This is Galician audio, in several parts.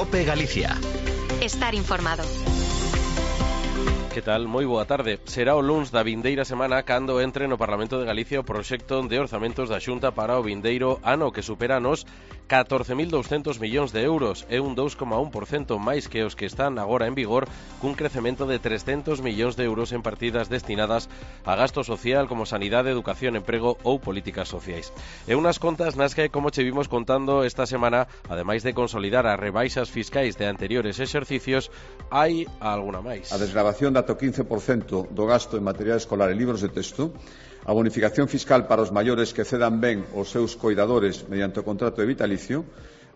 COPE Galicia. Estar informado. Que tal? Moi boa tarde. Será o luns da vindeira semana cando entre no Parlamento de Galicia o proxecto de orzamentos da Xunta para o vindeiro ano, que supera nos 14.200 millóns de euros. É un 2,1% máis que os que están agora en vigor, cun crecemento de 300 millóns de euros en partidas destinadas a gasto social como sanidade, educación, emprego ou políticas sociais. E unhas contas nas que, como che vimos contando esta semana, ademais de consolidar as rebaixas fiscais de anteriores exercicios, hai alguna máis. A desgravación ata o 15% do gasto en material escolar e libros de texto, a bonificación fiscal para os maiores que cedan ben os seus coidadores mediante o contrato de vitalicio,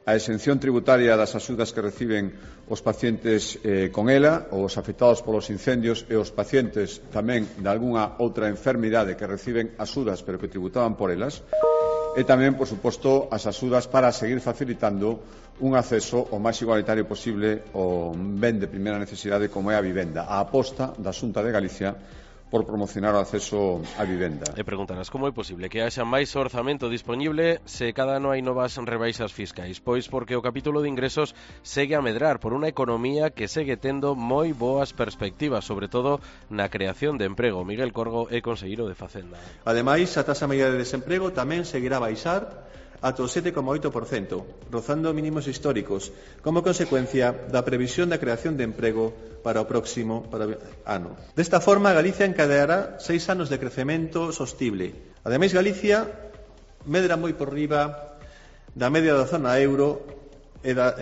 a exención tributaria das axudas que reciben os pacientes con ELA, os afectados polos incendios e os pacientes tamén de algunha outra enfermidade que reciben axudas pero que tributaban por elas, e tamén, por suposto, as axudas para seguir facilitando un acceso o máis igualitario posible ao ben de primeira necesidade como é a vivenda, a aposta da Xunta de Galicia por promocionar o acceso á vivenda. E preguntarás como é posible que haxa máis orzamento disponible se cada ano hai novas rebaixas fiscais? Pois porque o capítulo de ingresos segue a medrar por unha economía que segue tendo moi boas perspectivas, sobre todo na creación de emprego. Miguel Corgo é conselleiro de Facenda. Ademais, a taxa media de desemprego tamén seguirá a baixar ata o 7,8%, rozando mínimos históricos, como consecuencia da previsión da creación de emprego para o próximo ano. Desta forma, Galicia encadeará 6 anos de crecemento sostible. Ademais, Galicia medra moi por riba da media da zona euro e da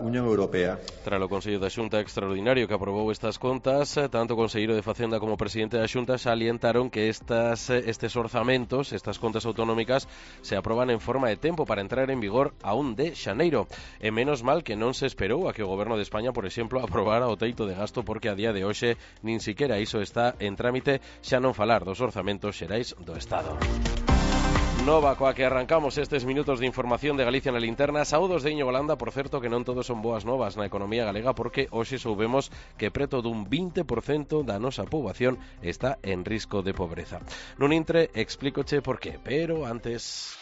Unión Europea. Tras o Consello da Xunta extraordinario que aprobou estas contas, tanto o conselleiro de Facenda como o presidente da Xunta salientaron que estes orzamentos, estas contas autonómicas, se aproban en forma de tempo para entrar en vigor a 1 de xaneiro. E menos mal que non se esperou a que o Goberno de España, por exemplo, aprobara o teito de gasto, porque a día de hoxe nin siquiera iso está en trámite, xa non falar dos orzamentos xerais do Estado. Nova coa que arrancamos estes minutos de información de Galicia na linterna. Saúdos de Íñigo Landa, por certo que non todos son boas novas na economía galega, porque hoxe soubemos que preto dun 20% da nosa poboación está en risco de pobreza. Nun intre, explícoche por qué, pero antes...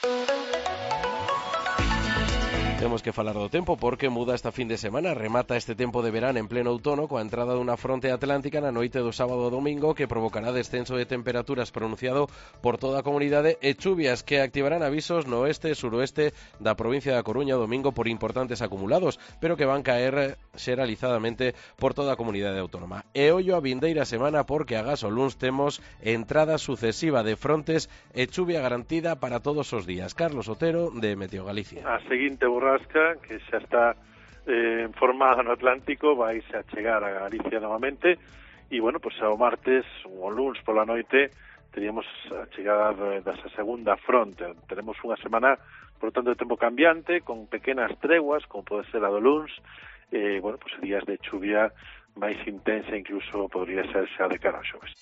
Temos que falar do tempo porque muda esta fin de semana, remata este tempo de verán en pleno outono coa entrada dunha fronte atlántica na noite do sábado ao domingo que provocará descenso de temperaturas pronunciado por toda a comunidade e chuvias que activarán avisos no oeste e suroeste da provincia da Coruña o domingo por importantes acumulados, pero que van caer xeralizadamente por toda a comunidade autónoma. E ollo a vindeira semana porque agás o luns temos entrada sucesiva de frontes e chuvia garantida para todos os días. Carlos Otero, de Meteo Galicia. A seguinte borrasca, que xa está formada no Atlántico, vai a chegar a Galicia novamente e, bueno, pues ao martes ou luns pola noite teríamos a chegada desa segunda fronte. Teremos unha semana, por tanto, de tempo cambiante, con pequenas treguas, como pode ser a do luns, bueno, pues días de chuvia máis intensa, incluso podría ser xa de cara ao xoves.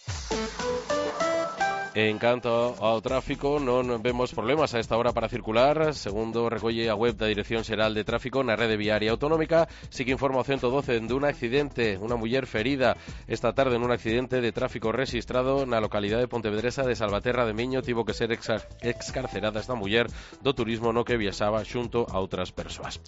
En canto ao tráfico, non vemos problemas a esta hora para circular. Segundo recolle a web da Dirección Xeral de Tráfico na rede viaria autonómica, sí que informa o 112 dun accidente, unha muller ferida esta tarde nun accidente de tráfico rexistrado na localidade pontevedresa de Salvaterra de Miño. Tivo que ser excarcerada esta muller do turismo no que viaxaba xunto a outras persoas.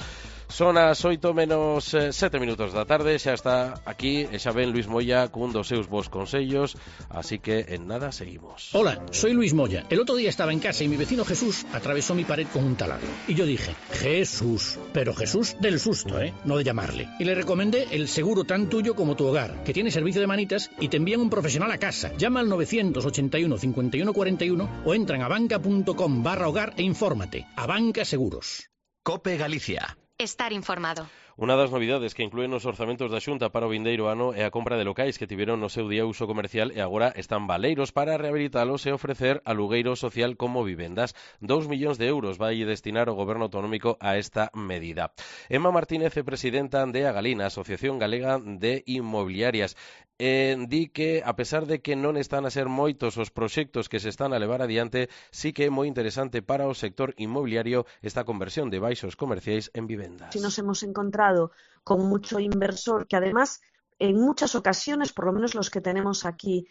Son as 8 menos 7 minutos da tarde, xa está aquí e xa ven Luis Moya cun dos seus bons consellos, así que en nada seguimos. Hola, soy Luis Moya. El otro día estaba en casa y mi vecino Jesús atravesó mi pared con un taladro. Y yo dije, Jesús, pero Jesús del susto, no de llamarle. Y le recomendé el seguro tan tuyo como tu hogar, que tiene servicio de manitas y te envían un profesional a casa. Llama al 981 51 41 o entra en abanca.com/hogar e infórmate. Abanca Seguros. COPE Galicia. Estar informado. Unha das novidades que inclúen os orzamentos da Xunta para o vindeiro ano é a compra de locais que tiveron no seu día uso comercial e agora están baleiros para rehabilitalos e ofrecer alugueiro social como vivendas. 2 millóns de euros vai destinar o Goberno autonómico a esta medida. Emma Martínez é presidenta de Agalina, Asociación Galega de Inmobiliarias. Di que, a pesar de que non están a ser moitos os proxectos que se están a levar adiante, sí que é moi interesante para o sector inmobiliario esta conversión de baixos comerciais en vivendas. Si nos hemos encontrado con mucho inversor que además en muchas ocasiones, por lo menos los que tenemos aquí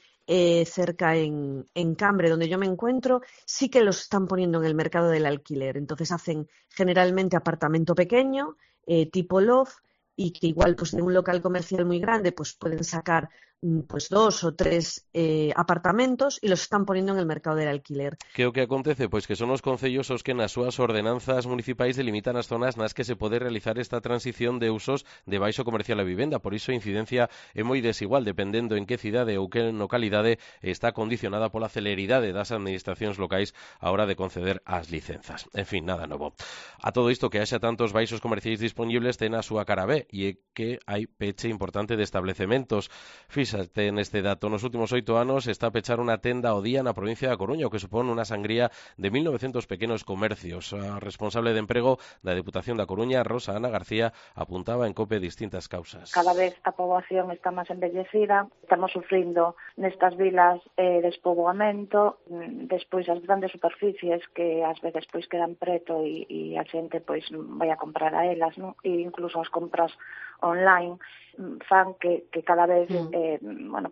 cerca en Cambre, donde yo me encuentro, sí que los están poniendo en el mercado del alquiler. Entonces hacen generalmente apartamento pequeño, tipo loft, y que igual pues de un local comercial muy grande pues pueden sacar pues 2 o 3 apartamentos e los están poniendo en el mercado del alquiler. Que o que acontece? Pois que son os concellos os que nas súas ordenanzas municipais delimitan as zonas nas que se pode realizar esta transición de usos de baixo comercial a vivenda. Por iso a incidencia é moi desigual dependendo en que cidade ou que localidade está condicionada pola celeridade das administracións locais a hora de conceder as licenzas. En fin, nada novo. A todo isto que haxa tantos baixos comerciais disponibles ten a súa cara B, e é que hai peche importante de establecementos. Fíxate neste dato, nos últimos 8 anos está a pechar unha tenda ao día na provincia da Coruña, o que supón unha sangría de 1.900 pequenos comercios. A responsable de emprego da Deputación da Coruña, Rosa Ana García, apuntaba en COPE distintas causas. Cada vez a poboación está máis envellecida, estamos sufrindo nestas vilas despoboamento, despois as grandes superficies que ás veces pois quedan preto e a xente pois vai a comprar a elas, non? E incluso as compras online fan que cada vez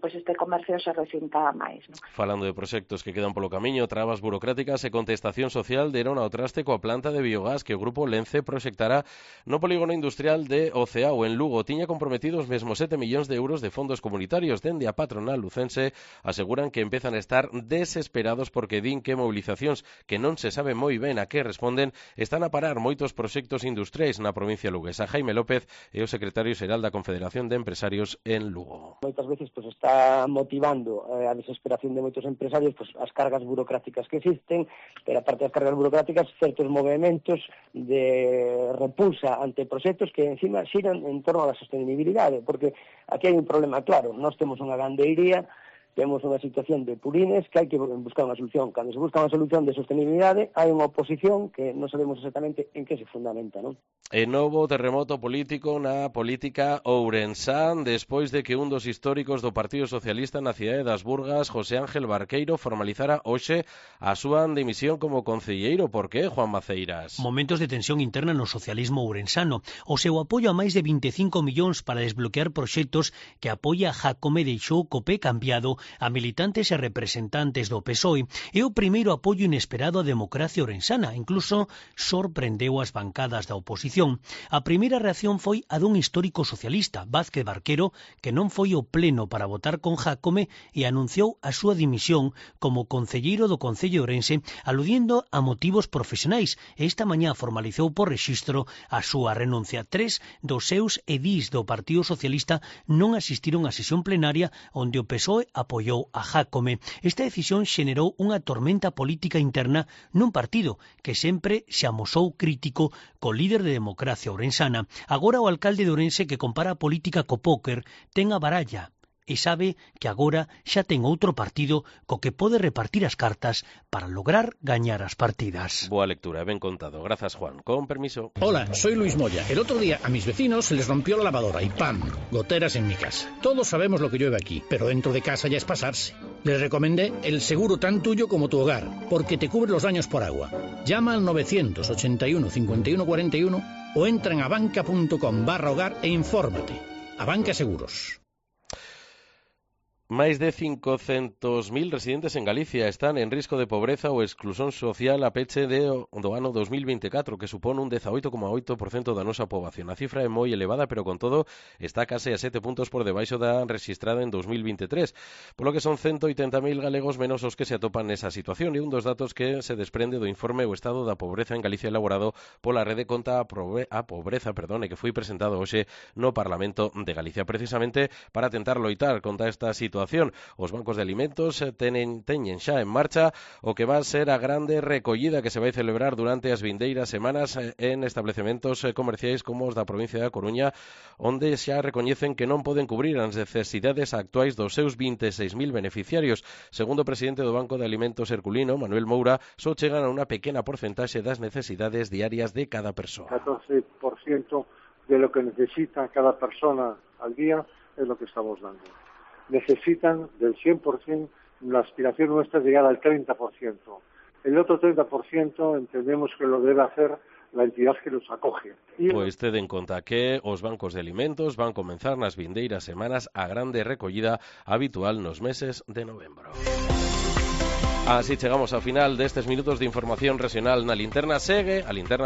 pois este comercio se recinta máis, non? Falando de proxectos que quedan polo camiño, trabas burocráticas e contestación social deron ao traste coa planta de biogás que o grupo Lence proxectará no polígono industrial de Oceao en Lugo. Tiña comprometidos mesmo 7 millóns de euros de fondos comunitarios. Dende a patronal lucense aseguran que empezan a estar desesperados porque din que movilizacións que non se sabe moi ben a que responden están a parar moitos proxectos industriais na provincia luguesa. Jaime López é o secretario xeral da Confederación de Empresarios en Lugo. Moitas veces pues, está motivando a desesperación de moitos empresarios pues, as cargas burocráticas que existen, pero aparte das cargas burocráticas, certos movimentos de repulsa ante proxectos que encima xiran en torno á sostenibilidade, porque aquí hai un problema claro, nós temos unha gandeiría, temos unha situación de purines que hai que buscar unha solución. Cando se busca unha solución de sostenibilidade, hai unha oposición que non sabemos exactamente en que se fundamenta, non? E novo terremoto político na política ourensán despois de que un dos históricos do Partido Socialista na cidade das Burgas, José Ángel Barqueiro, formalizara hoxe a súa dimisión como concelleiro. Por que, Juan Maceiras? Momentos de tensión interna no socialismo ourensano. O seu apoio a máis de 25 millóns para desbloquear proxectos que apoia Jácome deixou co pé cambiado a militantes e representantes do PSOE e o primeiro apoio inesperado á democracia ourensana, incluso sorprendeu as bancadas da oposición. A primeira reacción foi a dun histórico socialista, Vázquez Barquero, que non foi ao pleno para votar con Jácome e anunciou a súa dimisión como concelleiro do Concello Ourense, aludindo a motivos profesionais, e esta mañá formalizou por rexistro a súa renuncia. 3 dos seus edís do Partido Socialista non asistiron á sesión plenaria onde o PSOE apoiou a Jácome. Esta decisión xenerou unha tormenta política interna nun partido que sempre se amosou crítico co líder de democracia ourensana. Agora o alcalde de Ourense, que compara a política co póker, ten a baralla e sabe que agora xa ten outro partido co que pode repartir as cartas para lograr gañar as partidas. Boa lectura, ben contado. Grazas, Juan. Con permiso. Hola, soy Luis Moya. El otro día a mis vecinos se les rompió la lavadora y ¡pam! Goteras en mi casa. Todos sabemos lo que llueve aquí, pero dentro de casa ya es pasarse. Les recomendé el seguro tan tuyo como tu hogar, porque te cubre los daños por agua. Llama al 981 51 41 o entra en abanca.com/hogar e infórmate. Abanca Seguros. Máis de 500.000 residentes en Galicia están en risco de pobreza ou exclusión social a peche do ano 2024, que supón un 18,8% da nosa poboación. A cifra é moi elevada, pero con todo está case a 7 puntos por debaixo da rexistrada en 2023, polo que son 180.000 galegos menos os que se atopan nesa situación, e un dos datos que se desprende do informe O Estado da Pobreza en Galicia elaborado pola Rede contra a Pobreza, e que foi presentado hoxe no Parlamento de Galicia, precisamente para tentar loitar contra esta situación. Os bancos de alimentos teñen xa en marcha o que va a ser a grande recollida que se vai celebrar durante as vindeiras semanas en establecementos comerciais como os da provincia da Coruña, onde xa recoñecen que non poden cubrir as necesidades actuais dos seus 26.000 beneficiarios. Segundo o presidente do Banco de Alimentos Herculino, Manuel Moura, só chegan a unha pequena porcentaxe das necesidades diarias de cada persoa. 14% de lo que necesita cada persona al día es lo que estamos dando. Necesitan del 100%, la aspiración nuestra es llegar al 30%. El otro 30% entendemos que lo debe hacer la entidad que los acoge. Pois teden conta que os bancos de alimentos van comenzar nas vindeiras semanas a grande recollida habitual nos meses de novembro. Así chegamos ao final destes minutos de información regional na Linterna. Segue a Linterna